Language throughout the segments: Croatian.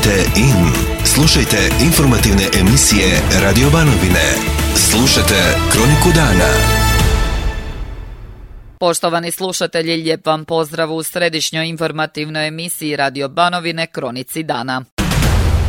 Kliknite in. Slušajte informativne emisije Radio Banovine. Slušajte Kroniku dana. Poštovani slušatelji, lijep vam pozdrav u središnjoj informativnoj emisiji Radio Banovine Kronici dana.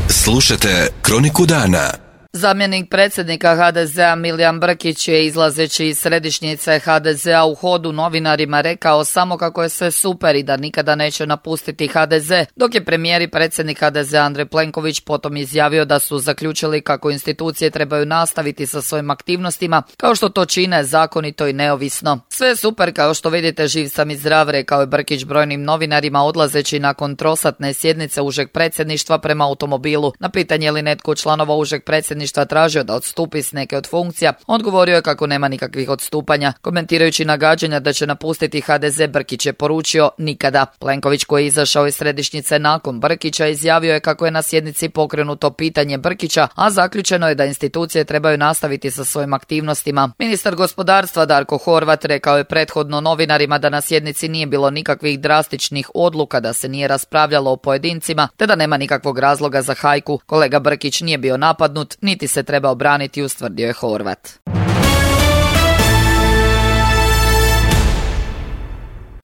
Slušajte Kroniku dana. Zamjenik predsjednika HDZ-a Milijan Brkić je, izlazeći iz središnjice HDZ-a u hodu novinarima, rekao samo kako je sve super i da nikada neće napustiti HDZ, dok je premijer i predsjednik HDZ-a Andrej Plenković potom izjavio da su zaključili kako institucije trebaju nastaviti sa svojim aktivnostima, kao što to čine zakonito i neovisno. Sve je super, kao što vidite, živ sam i zdrav, rekao je Brkić brojnim novinarima odlazeći nakon trosatne sjednice užeg predsjedništva prema automobilu. Na pitanje je li netko članova užeg predsjedništva tražio da odstupi s neke od funkcija, odgovorio je kako nema nikakvih odstupanja. Komentirajući nagađanja da će napustiti HDZ, Brkić je poručio nikada. Plenković, koji je izašao iz središnjice nakon Brkića, izjavio je kako je na sjednici pokrenuto pitanje Brkića, a zaključeno je da institucije trebaju nastaviti sa svojim aktivnostima. Ministar gospodarstva Darko Horvat rekao je prethodno novinarima da na sjednici nije bilo nikakvih drastičnih odluka, da se nije raspravljalo o pojedincima, te da nema nikakvog razloga za hajku. Kolega Brkić nije bio napadnut, niti se treba obraniti, ustvrdio je Horvat.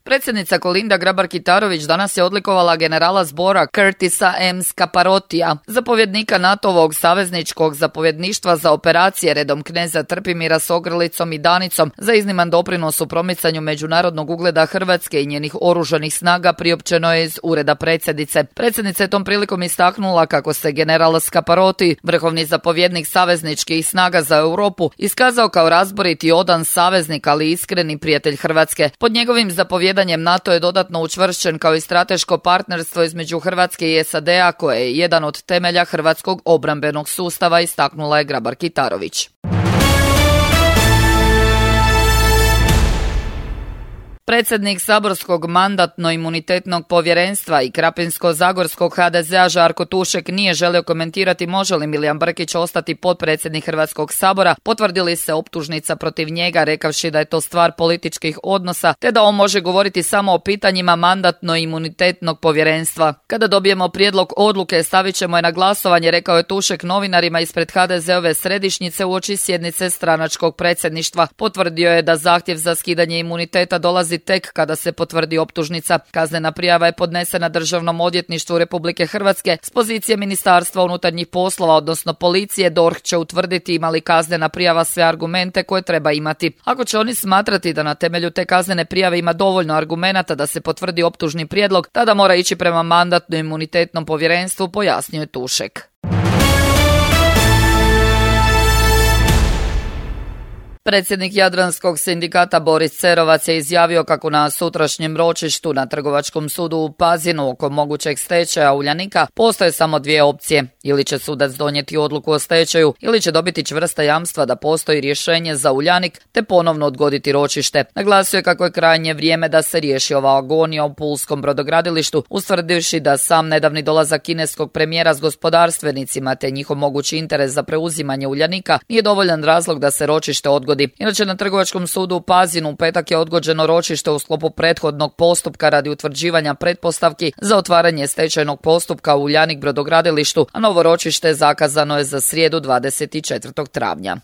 Predsjednica Kolinda Grabar-Kitarović danas je odlikovala generala zbora Curtisa M. Scaparotija, zapovjednika NATO-ovog savezničkog zapovjedništva za operacije redom kneza Trpimira s ogrlicom i Danicom, za izniman doprinos u promicanju međunarodnog ugleda Hrvatske i njenih oružanih snaga, priopćeno je iz ureda predsjednice. Predsjednica je tom prilikom istaknula kako se general Scaparoti, vrhovni zapovjednik savezničkih snaga za Europu, iskazao kao razborit i odan saveznik, ali iskreni prijatelj Hrvatske. Pod njegovim zapovjedanjem NATO je dodatno učvršćen kao i strateško partnerstvo između Hrvatske i SAD-a, koje je jedan od temelja hrvatskog obrambenog sustava, istaknula je Grabar-Kitarović. Predsjednik saborskog mandatno-imunitetnog povjerenstva i Krapinsko-zagorskog HDZ-a Žarko Tušek nije želio komentirati može li Milijan Brkić ostati potpredsjednik Hrvatskog sabora, potvrdili se optužnica protiv njega, rekavši da je to stvar političkih odnosa, te da on može govoriti samo o pitanjima mandatno-imunitetnog povjerenstva. Kada dobijemo prijedlog odluke, stavit ćemo je na glasovanje, rekao je Tušek novinarima ispred HDZ-ove središnjice uoči sjednice stranačkog predsjedništva. Potvrdio je da zahtjev za skidanje imuniteta dolazi tek kada se potvrdi optužnica. Kaznena prijava je podnesena Državnom odvjetništvu Republike Hrvatske s pozicije Ministarstva unutarnjih poslova, odnosno policije. DORH će utvrditi ima li kaznena prijava sve argumente koje treba imati. Ako će oni smatrati da na temelju te kaznene prijave ima dovoljno argumenata da se potvrdi optužni prijedlog, tada mora ići prema mandatno-imunitetnom povjerenstvu, pojasnio je Tušek. Predsjednik Jadranskog sindikata Boris Cerovac je izjavio kako na sutrašnjem ročištu na Trgovačkom sudu u Pazinu oko mogućeg stečaja Uljanika postoje samo dvije opcije. Ili će sudac donijeti odluku o stečaju, ili će dobiti čvrsta jamstva da postoji rješenje za Uljanik te ponovno odgoditi ročište. Naglasio je kako je krajnje vrijeme da se riješi ova agonija u pulskom brodogradilištu, ustvrdivši da sam nedavni dolazak kineskog premijera s gospodarstvenicima te njihov mogući interes za preuzimanje Uljanika nije dovoljan razlog da se ročište odgodi. Inače, na Trgovačkom sudu u Pazinu u petak je odgođeno ročište u sklopu prethodnog postupka radi utvrđivanja pretpostavki za otvaranje stečajnog postupka u Uljanik brodogradilištu, a novo ročište zakazano je za srijedu 24. travnja.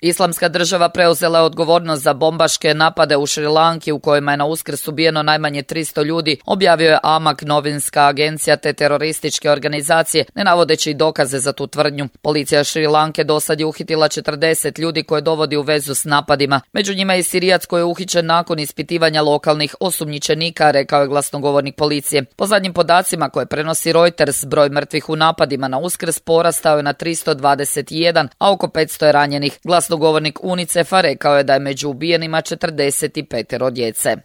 Islamska država preuzela je odgovornost za bombaške napade u Šri Lanki u kojima je na Uskrs ubijeno najmanje 300 ljudi, objavio je Amak, novinska agencija te terorističke organizacije, ne navodeći dokaze za tu tvrdnju. Policija Šri Lanke dosad je uhitila 40 ljudi koje dovodi u vezu s napadima. Među njima je i Sirijac koji je uhićen nakon ispitivanja lokalnih osumnjičenika, rekao je glasnogovornik policije. Po zadnjim podacima koje prenosi Reuters, broj mrtvih u napadima na Uskrs porastao je na 321, a oko 500 je ranjenih. Glasnogovornik UNICEF-a rekao je da je među ubijenima 45 djece.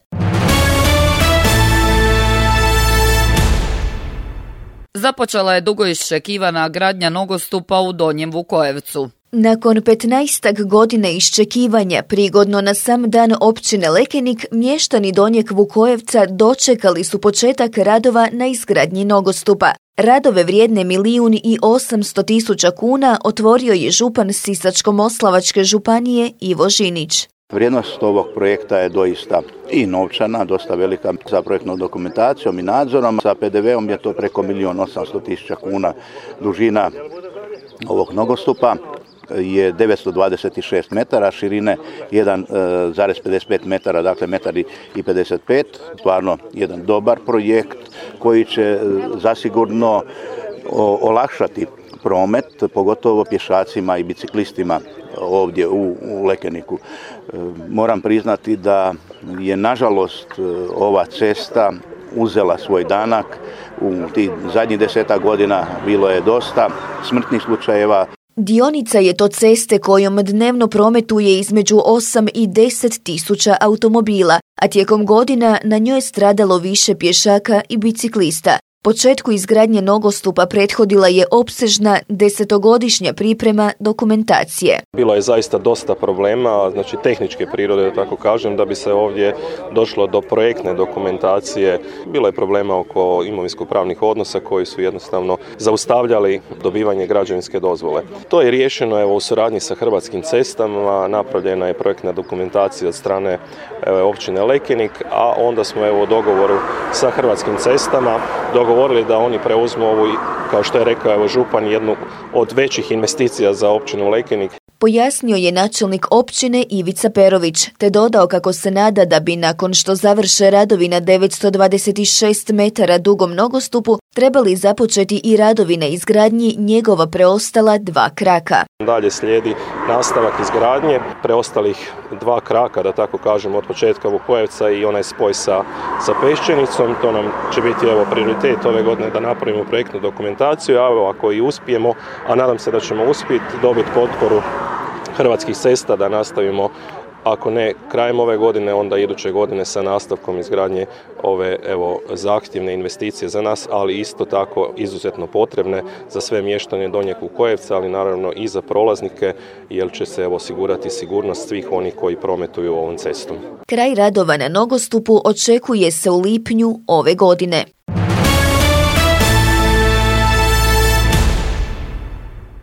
Započela je dugo iščekivana gradnja nogostupa u Donjem Vukojevcu. Nakon 15 godina iščekivanja, prigodno na sam dan općine Lekenik, mještani Donjeg Vukojevca dočekali su početak radova na izgradnji nogostupa. Radove vrijedne 1.800.000 kuna otvorio je župan Sisačko-moslavačke županije Ivo Žinić. Vrijednost ovog projekta je doista i novčana, dosta velika sa projektnom dokumentacijom i nadzorom. Sa PDV-om je to preko 1.800.000 kuna. Dužina ovog nogostupa je 926 metara, širine 1,55 metara, dakle 1,55 m. Stvarno jedan dobar projekt koji će zasigurno olakšati promet, pogotovo pješacima i biciklistima ovdje u Lekeniku. Moram priznati da je nažalost ova cesta uzela svoj danak. U tih zadnjih 10 godina bilo je dosta smrtnih slučajeva. Dionica je to ceste kojom dnevno prometuje između 8 i 10 tisuća automobila, a tijekom godina na njoj je stradalo više pješaka i biciklista. Početku izgradnje nogostupa prethodila je opsežna 10-godišnja priprema dokumentacije. Bilo je zaista dosta problema, znači tehničke prirode, da tako kažem, da bi se ovdje došlo do projektne dokumentacije. Bilo je problema oko imovinsko-pravnih odnosa koji su jednostavno zaustavljali dobivanje građevinske dozvole. To je riješeno u suradnji sa Hrvatskim cestama, napravljena je projektna dokumentacija od strane općine Lekenik, a onda smo u dogovoru sa Hrvatskim cestama dogovorili da oni preuzmu ovu, kao što je rekao župan, jednu od većih investicija za općinu Lekenik. Pojasnio je načelnik općine Ivica Perović, te dodao kako se nada da bi nakon što završe radovi na 926 metara dugom nogostupu trebali započeti i radovi na izgradnji njegova preostala 2 kraka. Dalje slijedi nastavak izgradnje preostalih 2 kraka, da tako kažem, od početka Vukojevca i onaj spoj sa Peščenicom. To nam će biti prioritet ove godine da napravimo projektnu dokumentaciju, a ako i uspijemo, a nadam se da ćemo uspjeti dobiti potporu Hrvatskih cesta da nastavimo, ako ne krajem ove godine, onda iduće godine sa nastavkom izgradnje ove zahtjevne investicije za nas, ali isto tako izuzetno potrebne za sve mještane Donjeg Vukojevca, ali naravno i za prolaznike, jer će se osigurati sigurnost svih onih koji prometuju ovom cestom. Kraj radova na nogostupu očekuje se u lipnju ove godine.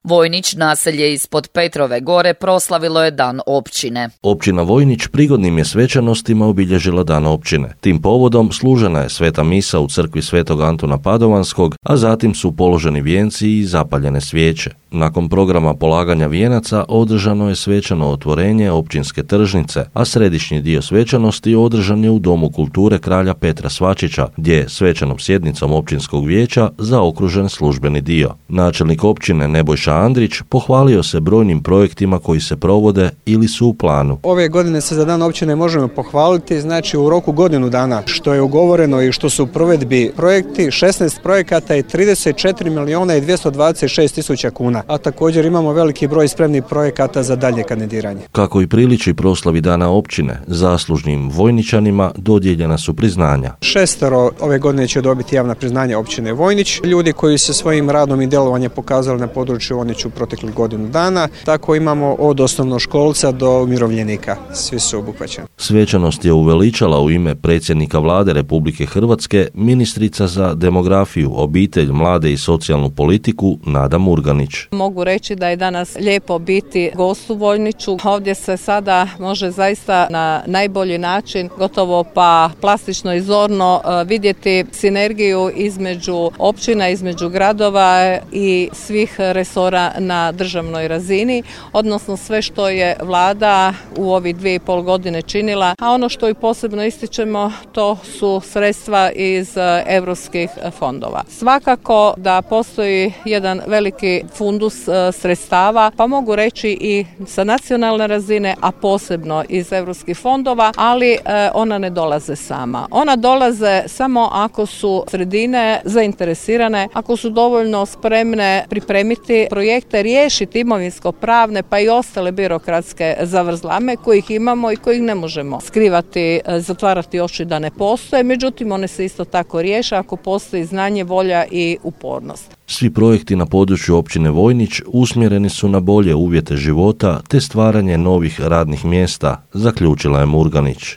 Vojnić, naselje ispod Petrove gore, proslavilo je Dan općine. Općina Vojnić prigodnim je svečanostima obilježila Dan općine. Tim povodom služena je sveta misa u crkvi Svetog Antuna Padovanskog, a zatim su položeni vijenci i zapaljene svijeće. Nakon programa polaganja vijenaca održano je svečano otvorenje općinske tržnice, a središnji dio svečanosti održan je u Domu kulture kralja Petra Svačića, gdje je svečanom sjednicom općinskog vijeća zaokružen službeni dio. Načelnik općine Nebojša Andrić pohvalio se brojnim projektima koji se provode ili su u planu. Ove godine se za Dan općine možemo pohvaliti, znači u roku godinu dana što je ugovoreno i što su u provedbi projekti, 16 projekata i 34.226.000 kuna, a također imamo veliki broj spremnih projekata za dalje kandidiranje. Kako i priliči proslavi Dana općine, zaslužnim Vojničanima dodijeljena su priznanja. 6 ove godine će dobiti javna priznanja općine Vojnić, ljudi koji se svojim radom i djelovanjem pokazali na području Vojniću proteklih godinu dana. Tako imamo od osnovnoškolca do umirovljenika. Svi su obuhvaćeni. Svečanost je uveličala u ime predsjednika Vlade Republike Hrvatske ministrica za demografiju, obitelj, mlade i socijalnu politiku Nada Murganić. Mogu reći da je danas lijepo biti gost u Vojniću. Ovdje se sada može zaista na najbolji način, gotovo pa plastično i zorno vidjeti sinergiju između općina, između gradova i svih resora na državnoj razini, odnosno sve što je Vlada u ovih 2,5 godine činila, a ono što i posebno ističemo to su sredstva iz europskih fondova. Svakako da postoji jedan veliki fundus sredstava, pa mogu reći i sa nacionalne razine, a posebno iz europskih fondova, ali ona ne dolaze sama. Ona dolaze samo ako su sredine zainteresirane, ako su dovoljno spremne pripremiti projekte, riješiti imovinsko-pravne pa i ostale birokratske zavrzlame kojih imamo i kojih ne možemo skrivati, zatvarati oči da ne postoje, međutim one se isto tako riješe ako postoji znanje, volja i upornost. Svi projekti na području općine Vojnić usmjereni su na bolje uvjete života te stvaranje novih radnih mjesta, zaključila je Murganić.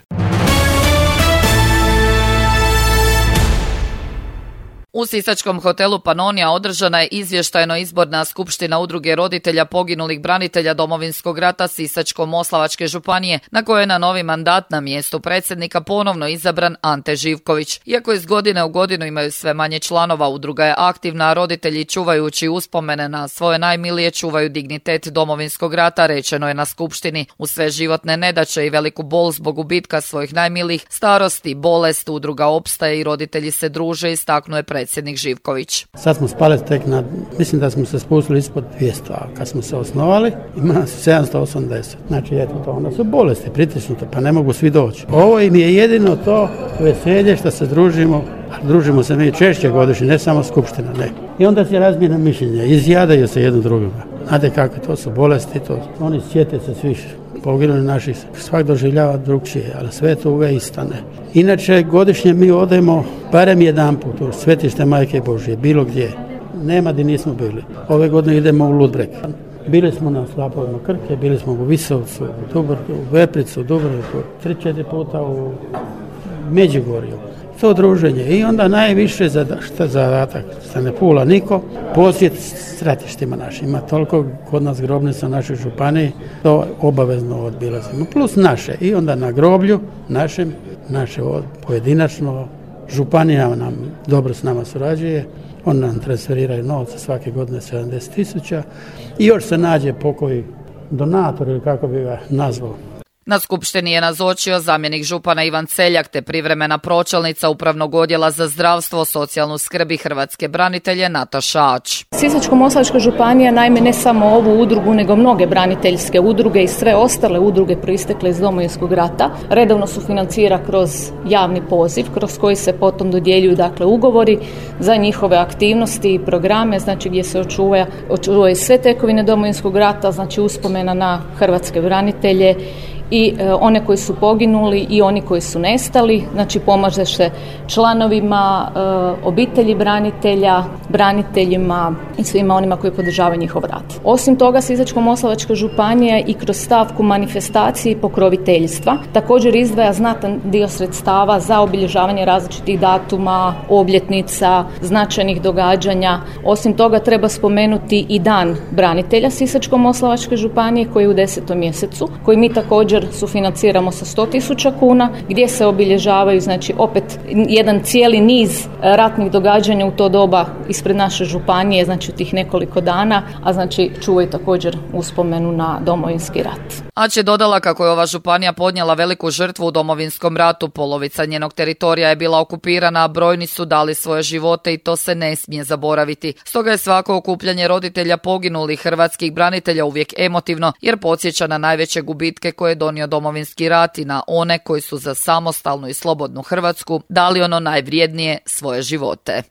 U sisačkom hotelu Panonija održana je izvještajno izborna skupština udruge roditelja poginulih branitelja Domovinskog rata Sisačko-moslavačke županije, na kojoj je na novi mandat na mjestu predsjednika ponovno izabran Ante Živković. Iako iz godine u godinu imaju sve manje članova, udruga je aktivna, a roditelji čuvajući uspomene na svoje najmilije čuvaju dignitet Domovinskog rata, rečeno je na skupštini. U sve životne nedaće i veliku bol zbog gubitka svojih najmilijih, starosti, bolest, udruga opstaje i roditelji se druže, istaknuo je predsjednik Živković. Sad smo spali tek mislim da smo se spustili ispod 200, a kad smo se osnovali ima nas 780. Znači eto to, onda su bolesti pritisnute, pa ne mogu svi doći. Ovo im je jedino to veselje što se družimo, a družimo se mi češće godišnje, ne samo skupština, ne. I onda se razmijena mišljenja, izjadaju se jedno drugoga. Znate kako, to su bolesti, oni sjete se svi poginuli naših, svak doživljava drugčije, ali sve to uvijek istane. Inače, godišnje mi odemo barem jedan put u svetište Majke Božje, bilo gdje. Nema gdje nismo bili. Ove godine idemo u Ludbreg. Bili smo na slapovima Krke, bili smo u Visovcu, u Dubrovku, u Vepricu, u Dubrovku, 3-4 puta u Međugorju. To druženje. I onda najviše zadatak, što ne pula niko, posjet stratištima našim. Ima toliko kod nas grobnica našoj županiji, to obavezno odbilazimo. Plus naše. I onda na groblju našem, naše pojedinačno, županija nam dobro s nama surađuje, on nam transferiraju novce svake godine 70.000 i još se nađe pokoji donator ili kako bi ga nazvao. Na skupštini je nazočio zamjenik župana Ivan Celjak te privremena pročelnica Upravnog odjela za zdravstvo, socijalnu skrb i hrvatske branitelje Nataša Ač. Sisačko-moslavačka županija naime ne samo ovu udrugu nego mnoge braniteljske udruge i sve ostale udruge proistekle iz Domovinskog rata redovno sufinancira kroz javni poziv kroz koji se potom dodjeljuju dakle ugovori za njihove aktivnosti i programe, znači gdje se očuvaju sve tekovine Domovinskog rata, znači uspomena na hrvatske branitelje i one koji su poginuli i oni koji su nestali, znači pomaže se članovima obitelji branitelja, braniteljima i svima onima koji podržavaju njihov rad. Osim toga, Sisačko-moslavačka županija i kroz stavku manifestacije i pokroviteljstva također izdvaja znatan dio sredstava za obilježavanje različitih datuma, obljetnica, značajnih događanja. Osim toga treba spomenuti i Dan branitelja Sisačko-moslavačke županije koji je u 10. mjesecu, koji mi također sufinanciramo sa 100.000 kuna, gdje se obilježavaju znači opet jedan cijeli niz ratnih događanja u to doba ispred naše županije, znači u tih nekoliko dana, a znači čuvaju također uspomenu na Domovinski rat. Ač je dodala kako je ova županija podnijela veliku žrtvu u Domovinskom ratu, polovica njenog teritorija je bila okupirana, a brojni su dali svoje živote i to se ne smije zaboraviti. Stoga je svako okupljanje roditelja poginulih hrvatskih branitelja uvijek emotivno, jer podsjeća na najveće gubitke koje je donio Domovinski rat i na one koji su za samostalnu i slobodnu Hrvatsku dali ono najvrijednije, svoje živote.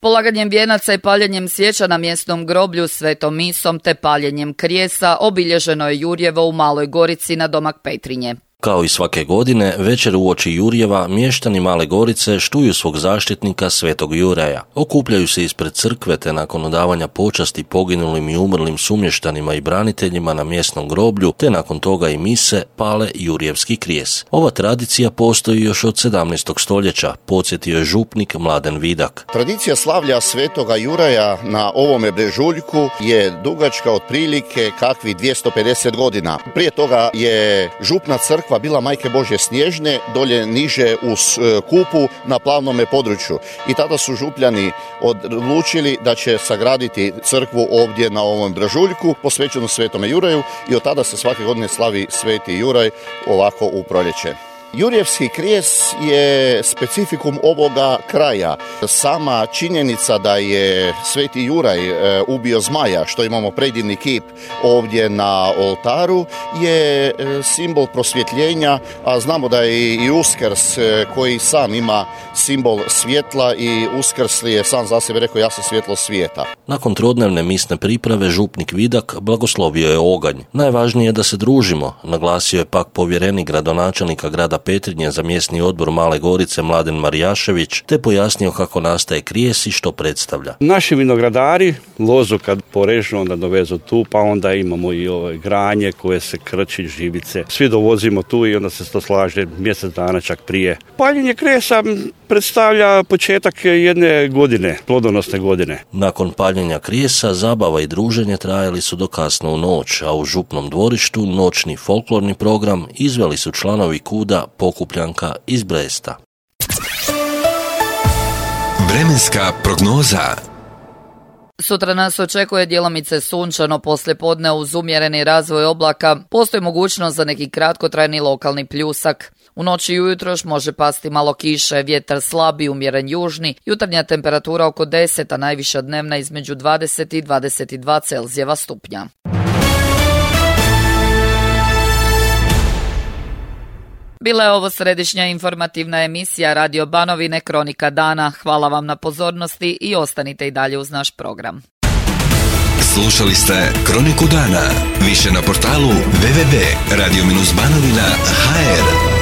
Polaganjem vijenaca i paljenjem svijeća na mjesnom groblju, svetom misom te paljenjem krijesa obilježeno je Jurjevo u Maloj Gorici na domak Petrinje. Kao i svake godine, večer uoči Jurjeva, mještani Male Gorice štuju svog zaštitnika Svetog Juraja. Okupljaju se ispred crkve te nakon odavanja počasti poginulim i umrlim sumještanima i braniteljima na mjesnom groblju, te nakon toga i mise, pale Jurjevski krijes. Ova tradicija postoji još od 17. stoljeća, podsjetio je župnik Mladen Vidak. Tradicija slavlja Svetoga Juraja na ovome brežuljku je dugačka otprilike kakvi 250 godina. Prije toga je župna crkva bila Majke Božje Snježne, dolje niže u Kupu na plavnome području. I tada su župljani odlučili da će sagraditi crkvu ovdje na ovom brežuljku, posvećenu Svetome Juraju, i od tada se svake godine slavi Sveti Juraj ovako u proljeće. Jurjevski krijes je specifikum ovoga kraja. Sama činjenica da je Sveti Juraj ubio zmaja, što imamo predivni kip ovdje na oltaru, je simbol prosvjetljenja, a znamo da je i Uskrs koji sam ima simbol svjetla i Uskrsli je sam za sebe rekao ja sam svjetlo svijeta. Nakon trodnevne misne priprave župnik Vidak blagoslovio je oganj. Najvažnije je da se družimo, naglasio je pak povjerenik gradonačelnika grada Petrinje za mjesni odbor Male Gorice Mladen Marijašević, te pojasnio kako nastaje krijes i što predstavlja. Naši vinogradari lozu kad porežu onda dovezu tu, pa onda imamo i granje koje se krči, živice. Svi dovozimo tu i onda se to slaže mjesec dana čak prije. Paljenje krijesa predstavlja početak jedne godine, plodonosne godine. Nakon paljenja krijesa, zabava i druženje trajali su do kasno u noć, a u župnom dvorištu noćni folklorni program izveli su članovi KUD-a Pokupljanka iz Bresta. Vremenska prognoza. Sutra nas očekuje djelomice sunčano poslijepodne uz umjereni razvoj oblaka. Postoji mogućnost za neki kratkotrajni lokalni pljusak. U noći i ujutro može pasti malo kiše, vjetar slabi, umjeren južni, jutarnja temperatura oko 10, a najviša dnevna između 20 i 22 Celzijeva stupnja. Bila je ovo središnja informativna emisija Radio Banovine Kronika dana. Hvala vam na pozornosti i ostanite i dalje uz naš program. Slušali ste Kroniku dana. Više na portalu www.radio-banovina.hr.